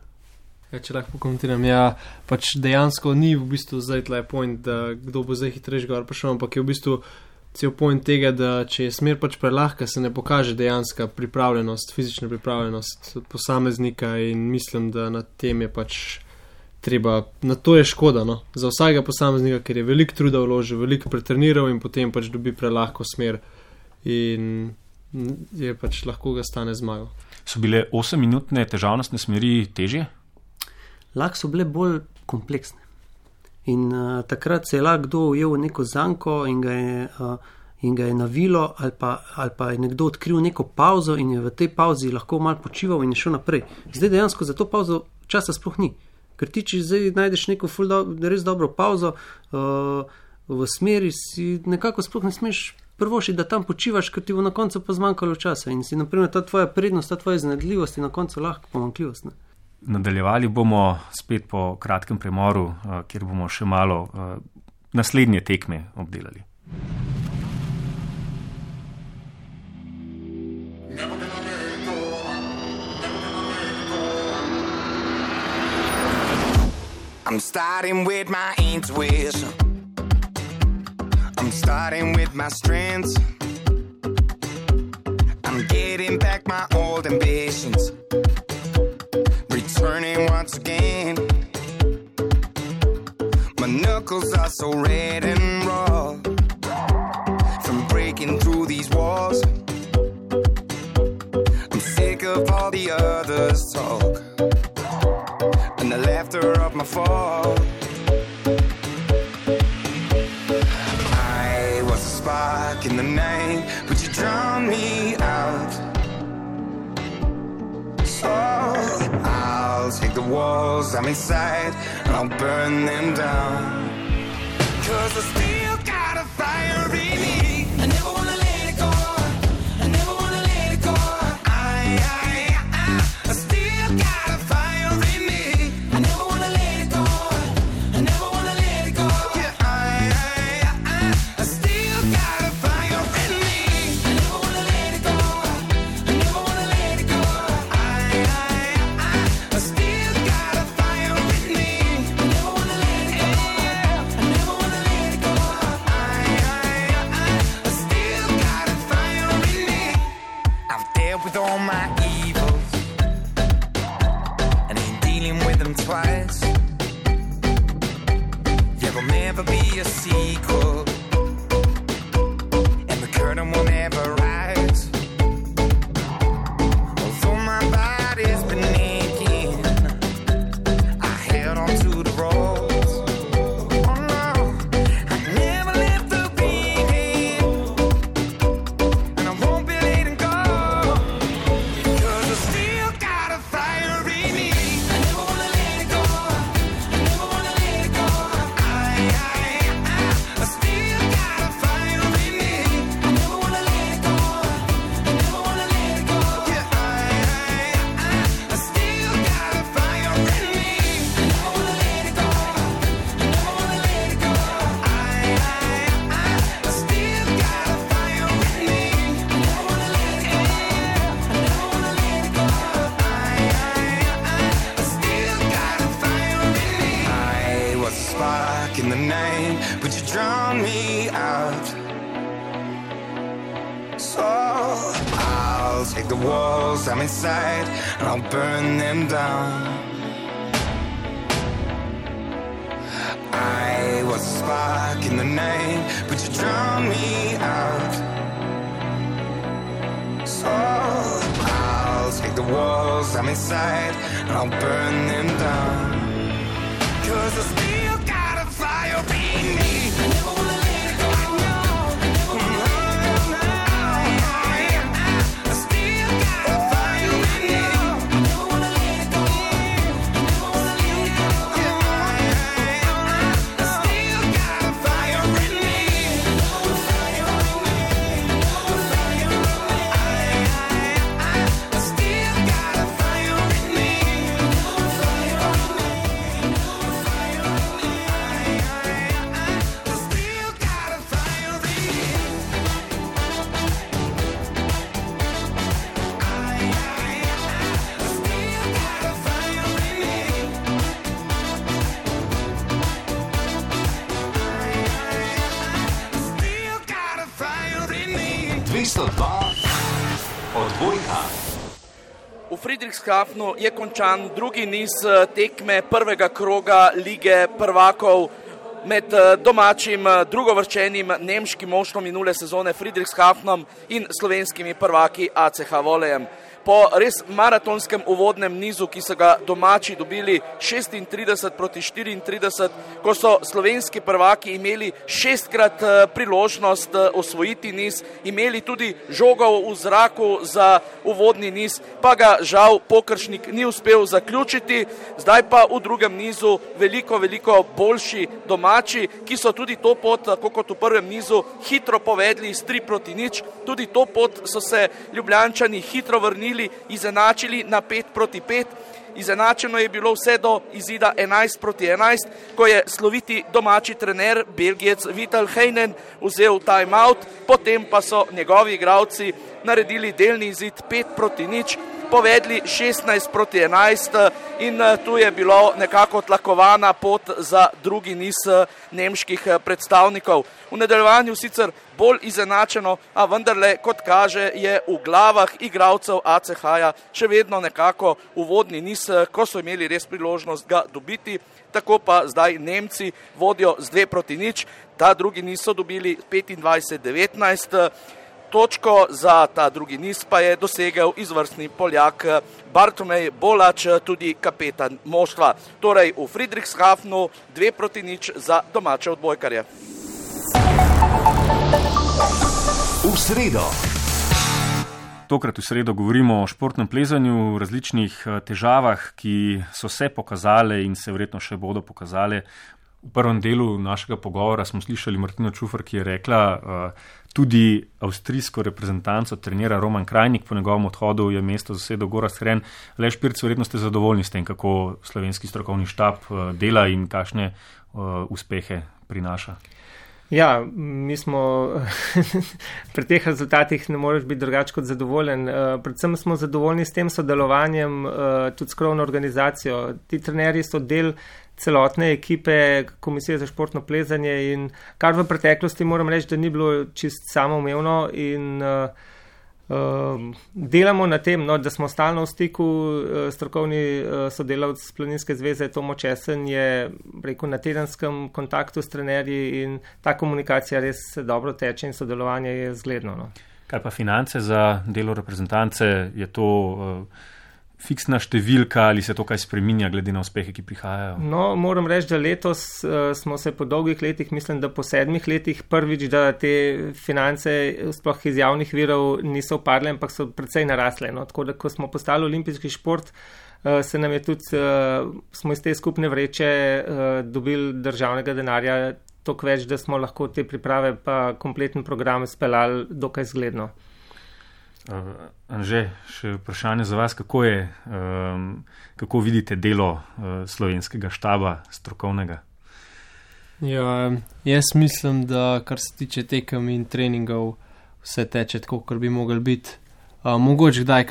Ja, če lahko pokomentiram, pač dejansko ni v bistvu zdaj tle point, da kdo bo zdaj hitrejši gor prišel, ampak je v bistvu cel point tega, da če je smer pač prelahka, se ne pokaže dejanska pripravljenost, fizična pripravljenost posameznika in mislim, da na tem je pač treba, na to je škoda, no, za vsakega posameznika, ker je veliko truda vložil, veliko pretreniral in potem pač dobi prelahko smer in je pač lahko ga stane zmagal. So bile 8-minutne težavnostne smeri težje? Lahko so bile bolj kompleksne. In takrat se je lahko kdo ujel v neko zanko in ga je navilo ali pa je nekdo odkril neko pauzo in je v tej pauzi lahko malo počival in je šel naprej. Zdaj dejansko za to pauzo časa sploh ni. Ker ti, če zdaj najdeš neko res dobro pauzo v smeri, si nekako sploh ne smeš prvoši, da tam počivaš, ker ti bo na koncu pa zmanjkalo časa in si naprimer ta tvoja prednost, ta tvoja iznajdljivost in na koncu lahko pomanjkljivost. Ne? Nadaljevali bomo spet po kratkem premoru, kjer bomo še malo naslednje tekme obdelali. I'm starting with my intuition. I'm starting with my strengths. I'm getting back my old ambitions. Returning once again. My knuckles are so red and raw from breaking through these walls. I'm sick of all the others' talk and the laughter of my fall. I was a spark in the night, but you drowned me out. So I'll take the walls I'm inside and I'll burn them down. 'Cause I still got a fire in me. I never wanna let it go. I never wanna let it go. I still got a fire in me. I never wanna let it go. I never wanna let it go. Yeah, I still got a fire in me. I never wanna let it go. I never wanna let it go. I still got a fire in me. I never wanna let it go. I never wanna let it go. I still got a fire in me. I've dealt with all my evils and ain't dealing with them twice. Yeah, but a sequel, and the curtain won't ever rise. Although my body's been aching, I held on to the ropes. Oh no, I never left the beat, and I won't be letting go, 'cause I still got a fire in me. I never wanna let it go. I never wanna let it go. I still got a fire in me. I never wanna let it go. I never wanna let it go. Yeah, I still got a fire in me. I never wanna let it go. I never wanna let it go. I still got a fire in me. I never wanna let it go. I never wanna let it go. I still got a fire in me. I was a spark in the night, but you drown me out. So I'll take the walls I'm inside and I'll burn them down. I was a spark in the night, but you drown me out. So I'll take the walls I'm inside and I'll burn them down. 'Cause I still got a fire in me. I never wanna let it go. I never wanna I still got a fire in me. I never wanna let it go. I never wanna let it go. I still got a fire in me. A fire in me. A fire in me. I still got a fire in me. A fire in me. A fire in me. I still got a fire in me. I still got a fire in me. Still got a fire in me. 202 odbojka. V Friedrichshafnu je končan drugi niz tekme prvega kroga Lige prvakov med domačim drugovrščenim nemškim moštvom minule sezone Friedrichshafnom in slovenskimi prvaki ACH Volejem. Po res maratonskem uvodnem nizu, ki so ga domači dobili 36 proti 34, ko so slovenski prvaki imeli 6-krat priložnost osvojiti niz, imeli tudi žogo v zraku za uvodni niz, pa ga žal Pokršnik ni uspel zaključiti. Zdaj pa v drugem nizu veliko boljši domači, ki so tudi to pot, tako kot v prvem nizu, hitro povedli s 3 proti 0. Tudi to pot so se Ljubljančani hitro vrnili, izenačili na 5 proti 5. Izenačeno je bilo vse do izida 11 proti 11, ko je sloviti domači trener Belgijec Vital Heinen vzel time-out, potem pa so njegovi igralci naredili delni izid 5 proti 0, povedli 16 proti 11 in tu je bilo nekako tlakovana pot za drugi niz nemških predstavnikov. V nadaljevanju sicer bolj izenačeno, a vendarle, kot kaže, je v glavah igralcev ACH-ja še vedno nekako uvodni niz, ko so imeli res priložnost ga dobiti. Tako pa zdaj Nemci vodijo z 2 proti 0, ta drugi niz so dobili 25-19. Točko za ta drugi niz pa je dosegel izvrstni Poljak Bartomej Bolač, tudi kapetan moštva. Torej v Friedrichshafnu 2 proti 0 za domače odbojkarje. V sredo. Tokrat v sredo govorimo o športnem plezanju, o različnih težavah, ki so se pokazale in se verjetno še bodo pokazale. V prvem delu našega pogovora smo slišali Martino Čufer, ki je rekla, tudi avstrijsko reprezentanco trenira Roman Krajnik, po njegovem odhodu je mesto zasedel Gorazd Hren. Aleš Pirc, verjetno ste zadovoljni s tem, kako slovenski strokovni štab dela in kakšne uspehe prinaša. Ja, mi smo pri teh rezultatih ne moreš biti drugače kot zadovoljen. Predvsem smo zadovoljni s tem sodelovanjem, tudi s krovno organizacijo. Ti trenerji so del celotne ekipe Komisije za športno plezanje in kar v preteklosti moram reči, da ni bilo čist samoumevno in Delamo na tem, no, da smo stalno v stiku. Strokovni sodelavec Planinske zveze Tomo Česen je rekel, na tedenskem kontaktu s trenerji in ta komunikacija res dobro teče in sodelovanje je zgledno. No. Kaj pa finance za delo reprezentance? Je to fiksna številka ali se to kaj spreminja glede na uspehe, ki prihajajo? No, moram reči, da letos smo se po dolgih letih, mislim, da po 7 letih prvič, da te finance sploh iz javnih virov niso upadle, ampak so precej narasle. No. Tako da, ko smo postali olimpijski šport, se nam je tudi, smo iz te skupne vreče dobili državnega denarja toliko več, da smo lahko te priprave pa kompleten program speljali dokaj zgledno. Anže, še vprašanje za vas, kako vidite delo slovenskega štaba strokovnega? Ja, jaz mislim, da kar se tiče tekem in treningov, vse teče tako, kar bi mogli biti. Mogoče kdaj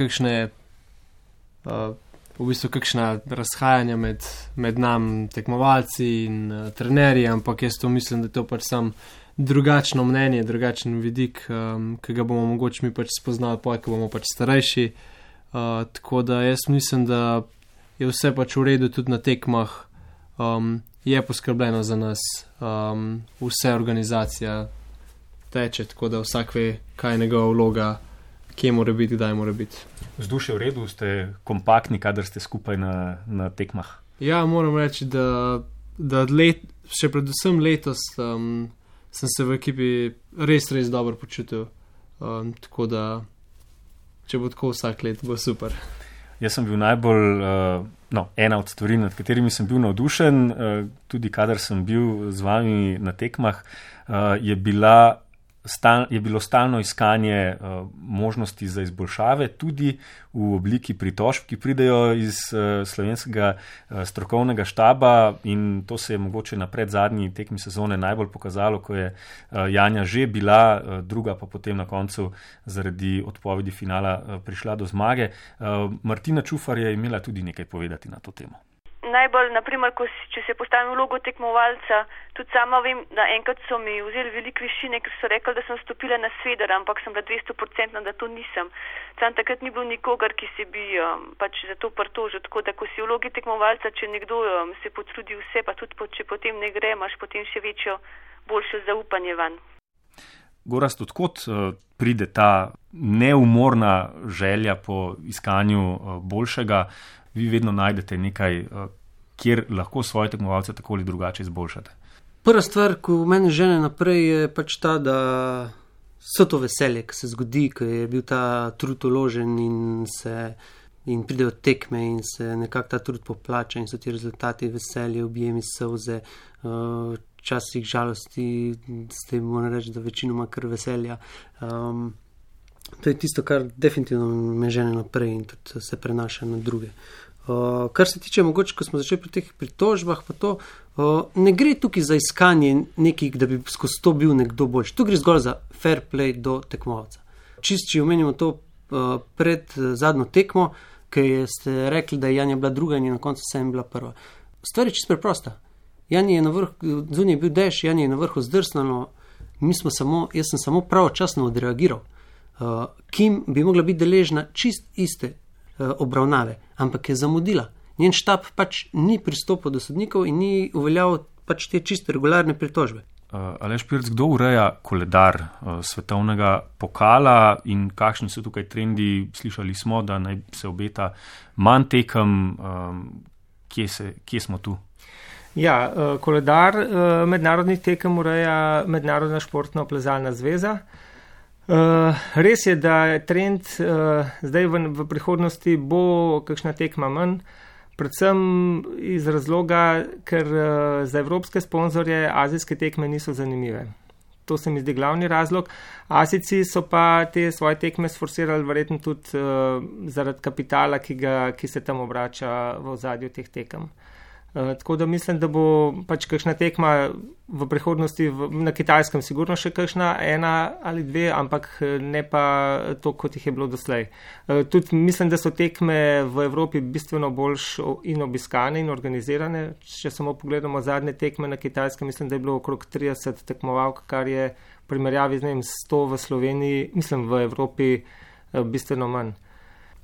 kakšna razhajanja med nam tekmovalci in trenerji, ampak jaz to mislim, da to pač sam drugačno mnenje, drugačen vidik, ki ga bomo mogoče mi pač spoznali poj, ko bomo pač starejši. Tako da jaz mislim, da je vse pač v redu tudi na tekmah, je poskrbljeno za nas, vse organizacija teče, tako da vsak ve, kaj je njegova vloga, kje mora biti, kdaj mora biti. Vzdušje v redu, ste kompaktni, kadar ste skupaj na tekmah? Ja, moram reči, da še predvsem letos sem se v ekipi res dobro počutil, tako da če bo tako vsak let, bo super. Jaz sem bil najbolj, ena od stvari, nad katerimi sem bil navdušen, tudi kadar sem bil z vami na tekmah, je bilo stalno iskanje možnosti za izboljšave, tudi v obliki pritožb, ki pridejo iz slovenskega strokovnega štaba, in to se je mogoče na predzadnji tekmi sezone najbolj pokazalo, ko je Janja že bila druga, pa potem na koncu zaradi odpovedi finala prišla do zmage. Martina Čufar je imela tudi nekaj povedati na to temo. Najbolj, naprimer, če se postavim vlogo tekmovalca, tudi sama vem, da enkrat so mi vzeli veliko višine, ker so rekli, da sem stopila na sveder, ampak sem bila 200%, da to nisem. Sam takrat ni bilo nikogar, ki se bi pač za to pritožil, tako da, ko si v vlogi tekmovalca, če nekdo se potrudi vse, pa tudi če potem ne gre, imaš potem še boljše zaupanje van. Gorazd, odkot pride ta neumorna želja po iskanju boljšega? Vi vedno najdete nekaj, kjer lahko svoje tekmovalce tako ali drugače izboljšate. Prva stvar, ko mene žene naprej, je pač ta, da so to veselje, ki se zgodi, ko je bil ta trud uložen in pridejo tekme in se nekako ta trud poplača in so ti rezultati veselje, objemi, solze, včasih žalosti, s tem moram reči, da večinoma kar veselja. To je tisto, kar definitivno me žene naprej in tudi se prenaša na druge. Kar se tiče mogoče, ko smo začeli pri teh pritožbah, pa to ne gre tukaj za iskanje nekih, da bi skozi to bil nekdo boljši. Tu gre zgolj za fair play do tekmovalca. Če omenimo to pred zadnjo tekmo, ki ste rekli, da je Janja bila druga in je na koncu vsem bila prva. Stvar je čisto preprosta. Janja je na vrhu, zunaj je bil dež, Janja je na vrhu zdrsnalo, jaz sem samo pravočasno odreagiral. Kim bi mogla biti deležna čist iste obravnave, ampak je zamudila. Njen štab pač ni pristopil do sodnikov in ni uveljavil pač te čiste regularne pritožbe. Aleš Pirc, kdo ureja koledar svetovnega pokala in kakšni so tukaj trendi? Slišali smo, da naj se obeta manj tekem. Kje smo tu? Ja, koledar mednarodnih tekem ureja Mednarodna športna plezalna zveza. Res je, da je trend zdaj v prihodnosti bo kakšna tekma manj, predvsem iz razloga, ker za evropske sponzorje azijske tekme niso zanimive. To se mi zdi glavni razlog. Azijci so pa te svoje tekme sforsirali verjetno tudi zaradi kapitala, ki se tam obrača v ozadju teh tekem. Tako da mislim, da bo pač kakšna tekma v prihodnosti na Kitajskem sigurno še kakšna, 1 ali 2, ampak ne pa to, kot jih je bilo doslej. Tudi mislim, da so tekme v Evropi bistveno bolj in obiskane in organizirane. Če samo pogledamo zadnje tekme na Kitajskem, mislim, da je bilo okrog 30 tekmovalk, kar je v primerjavi z 100 v Sloveniji, mislim v Evropi, bistveno manj.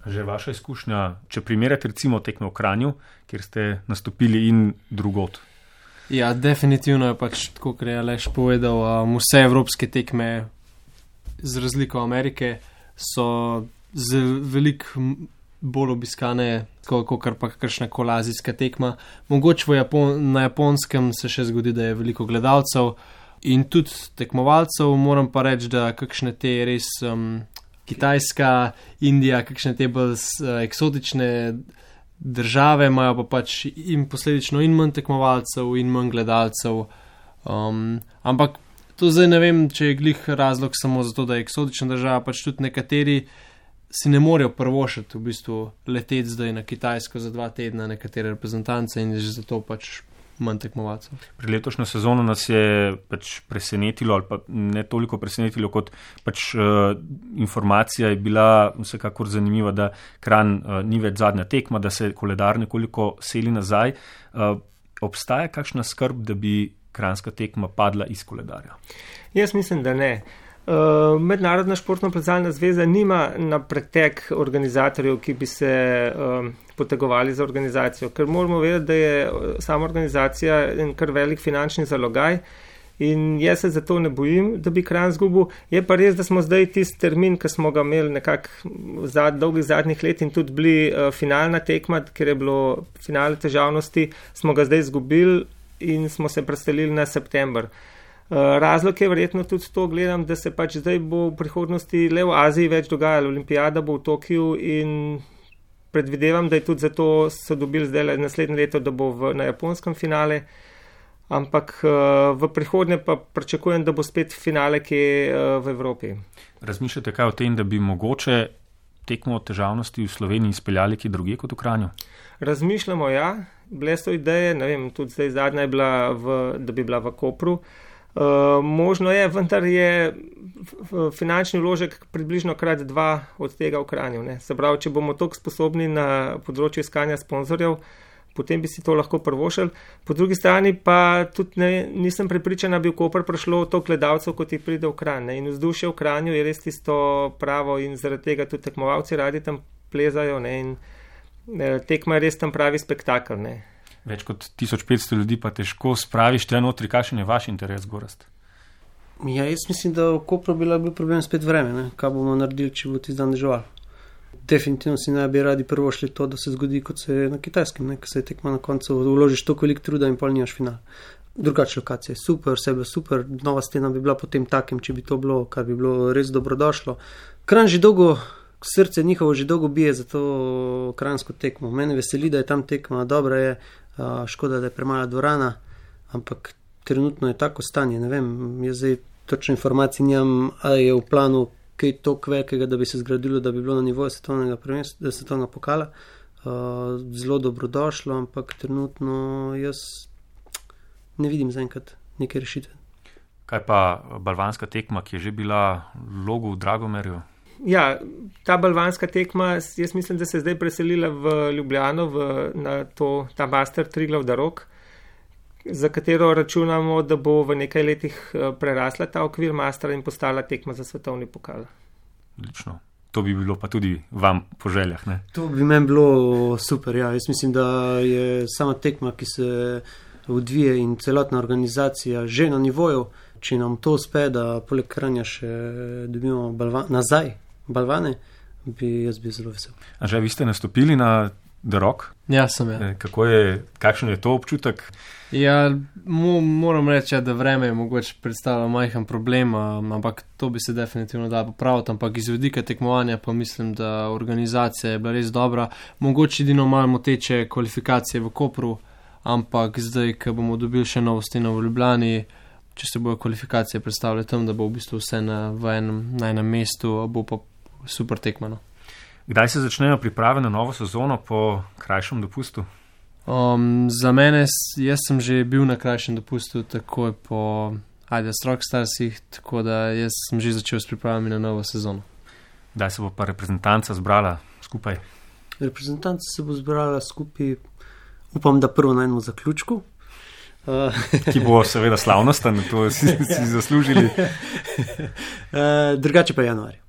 Že vaša izkušnja, če primerjate recimo tekme v Kranju, kjer ste nastopili in drugot? Ja, definitivno je pač tako, kot je Aleš povedal, vse evropske tekme z razliko Amerike so veliko bolj obiskane, kot pa kakšna koli azijska tekma. Mogoče na Japonskem se še zgodi, da je veliko gledalcev in tudi tekmovalcev, moram pa reči, da kakšne te res Kitajska, Indija, kakšne te bolj eksotične države imajo pa pač in posledično in manj tekmovalcev in manj gledalcev. Ampak to zdaj ne vem, če je glih razlog samo zato, da je eksotična država, pač tudi nekateri si ne morejo prvošiti v bistvu leteti zdaj na Kitajsko za 2 tedna nekatere reprezentance in že zato pač manj tekmovalcev. Pri letošnjo sezono nas je pač presenetilo, ali pa ne toliko presenetilo, kot pač informacija je bila vsekakor zanimiva, da Kranj ni več zadnja tekma, da se koledar nekoliko seli nazaj. Obstaja kakšna skrb, da bi kranjska tekma padla iz koledarja? Jaz mislim, da ne. Mednarodna športno-plezalna zveza nima na pretek organizatorjev, ki bi se potegovali za organizacijo, ker moramo vedeti, da je sama organizacija en kar velik finančni zalogaj in jaz se zato ne bojim, da bi Kranj izgubil. Je pa res, da smo zdaj tisti termin, ki smo ga imeli nekako v dolgih zadnjih let in tudi bili finalna tekma, ker je bilo finale težavnosti, smo ga zdaj izgubili in smo se preselili na september. Razlog je verjetno tudi to, gledam, da se pač zdaj bo v prihodnosti le v Aziji več dogajalo. Olimpijada bo v Tokiu in predvidevam, da je tudi zato so dobili zdaj naslednje leto, da bo na japonskem finale, ampak v prihodnje pa pričakujem, da bo spet finale kje v Evropi. Razmišljate kaj o tem, da bi mogoče tekmo težavnosti v Sloveniji izpeljali kje drugje kot v Kranju? Razmišljamo, ja. Bile so ideje, ne vem, tudi zdaj zadnja je bila, da bi bila v Kopru. Možno je, vendar je finančni vložek približno krat 2 od tega v Kranju. Se pravi, če bomo toliko sposobni na področju iskanja sponzorjev, potem bi si to lahko prvošili. Po drugi strani pa tudi nisem prepričan, da bi v Koper prišlo toliko gledalcev, kot jih pride v Kranj. In vzdušje v Kranju je res tisto pravo in zaradi tega tudi tekmovalci radi tam plezajo in tekma je res tam pravi spektakel. Več kot 1500 ljudi pa težko spraviš tle notri, kakšen je vaš interes, Gorazd? Ja, jaz mislim, da v Kopru bi bil problem spet vreme, kaj bomo naredili, če bo tisti dan deževal. Definitivno si ne bi radi prvo šli to, da se zgodi, kot se je na Kitajskem, ko se je tekma na koncu, vložiš toliko veliko truda in pol nimaš final. Drugače lokacije, super, vse bi super, nova stena bi bila potem takim, če bi to bilo, kar bi bilo res dobrodošlo. Kranj že dolgo, srce njihovo že dolgo bije za to kranjsko tekmo. Mene veseli, da je tam tekma, dobra je, škoda, da je premala dvorana, ampak trenutno je tako stanje, ne vem, jaz zdaj točno informacij nimam, ali je v planu kaj toliko velikega, da bi se zgradilo, da bi bilo na nivoju svetovnega pokala, zelo dobrodošlo, ampak trenutno jaz ne vidim zaenkrat neke rešitve. Kaj pa balvanska tekma, ki je že bila v Logu v Dragomerju? Ja, ta balvanska tekma, jaz mislim, da se je zdaj preselila v Ljubljano, na ta Master Triglav Darog, za katero računamo, da bo v nekaj letih prerasla ta okvir Mastera in postala tekma za svetovni pokal. Odlično. To bi bilo pa tudi vam po željah, ne? To bi meni bilo super, ja. Jaz mislim, da je sama tekma, ki se odvije in celotna organizacija že na nivoju, če nam to uspe, da poleg Kranja še dobimo nazaj balvane, jaz bi zelo vesel. Anže, vi ste nastopili na The Rock? Ja, sem ja. Kakšen je to občutek? Ja, moram reči, da vreme je mogoče predstavlja majhen problem, ampak to bi se definitivno dalo popraviti, ampak iz vidika tekmovanja pa mislim, da organizacija je bila res dobra. Mogoče edino malo moteče kvalifikacije v Kopru, ampak zdaj, ko bomo dobili še novo steno v Ljubljani, če se bojo kvalifikacije predstavljali tam, da bo v bistvu vse na enem mestu, bo pa super tekmano. Kdaj se začnejo priprave na novo sezono po krajšem dopustu? Za mene, jaz sem že bil na krajšem dopustu takoj po Adidas Rockstarsih, tako da jaz sem že začel s pripravami na novo sezono. Kdaj se bo pa reprezentanca zbrala skupaj? Reprezentanca se bo zbrala skupaj, upam, da prvo na enem zaključku. Ki bo seveda slavnosten, to si zaslužili. Drugače pa januarja.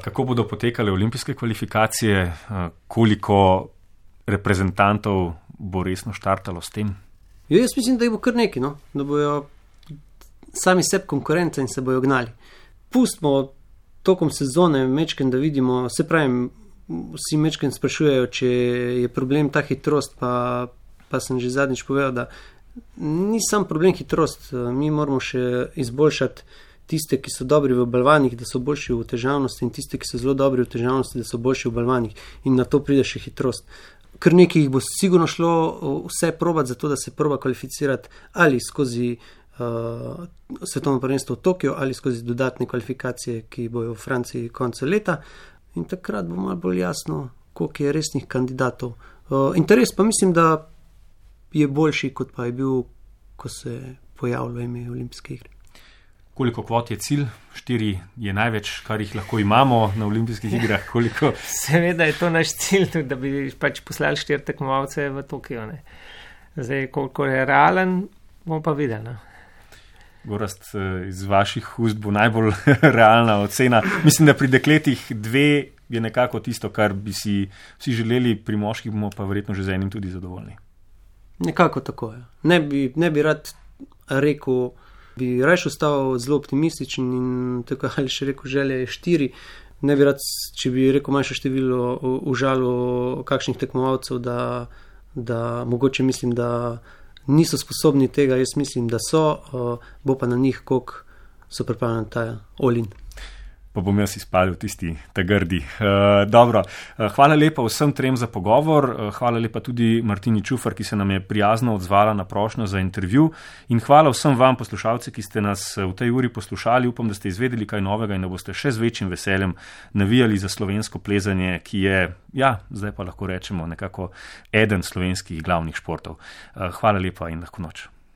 Kako bodo potekale olimpijske kvalifikacije, koliko reprezentantov bo resno štartalo s tem? Jaz mislim, da jih bo kar nekaj, no? Da bojo sami sebi konkurence in se bojo gnali. Pustimo tokom sezone mečken, da vidimo, se pravim, vsi mečken sprašujejo, če je problem ta hitrost, pa sem že zadnjič povedal, da ni sam problem hitrost, mi moramo še izboljšati tiste, ki so dobri v balvanih, da so boljši v težavnosti, in tiste, ki so zelo dobri v težavnosti, da so boljši v balvanih, in na to pride še hitrost. Kar nekaj jih bo sigurno šlo vse probati za to, da se proba kvalificirati ali skozi svetovno prvenstvo v Tokiu ali skozi dodatne kvalifikacije, ki bojo v Franciji konca leta, in takrat bo malo bolj jasno, koliko je resnih kandidatov. Interes pa mislim, da je boljši, kot pa je bil, ko se pojavilo ime olimpijske igre. Koliko kvot je cilj? 4 je največ, kar jih lahko imamo na olimpijskih igrah. Koliko? Seveda je to naš cilj, tudi da bi pač poslali 4 tekmovalce v Tokio. Ne. Zdaj, koliko je realen, bomo pa videli. Gorazd, iz vaših ust bo najbolj realna ocena. Mislim, da pri dekletih 2 je nekako tisto, kar bi si vsi želeli, pri moških bomo pa verjetno že z enim tudi zadovoljni. Nekako tako je. Ne bi rad rekel, bi raje ostal zelo optimističen in tako ali še rekel, želja je 4. Ne bi rad, če bi rekel manjše število, užalil kakšnih tekmovalcev, da mogoče mislim, da niso sposobni tega, jaz mislim, da so, bo pa na njih, koliko so pripravljeni ta all-in. Pa bom jaz izpalil tisti ta grdi. Dobro, hvala lepa vsem 3 za pogovor, hvala lepa tudi Martini Čufar, ki se nam je prijazno odzvala na prošnjo za intervju, in hvala vsem vam, poslušalci, ki ste nas v tej uri poslušali. Upam, da ste izvedeli kaj novega in da boste še z večjim veseljem navijali za slovensko plezanje, ki je, zdaj pa lahko rečemo, nekako eden slovenskih glavnih športov. Hvala lepa in lahko noč.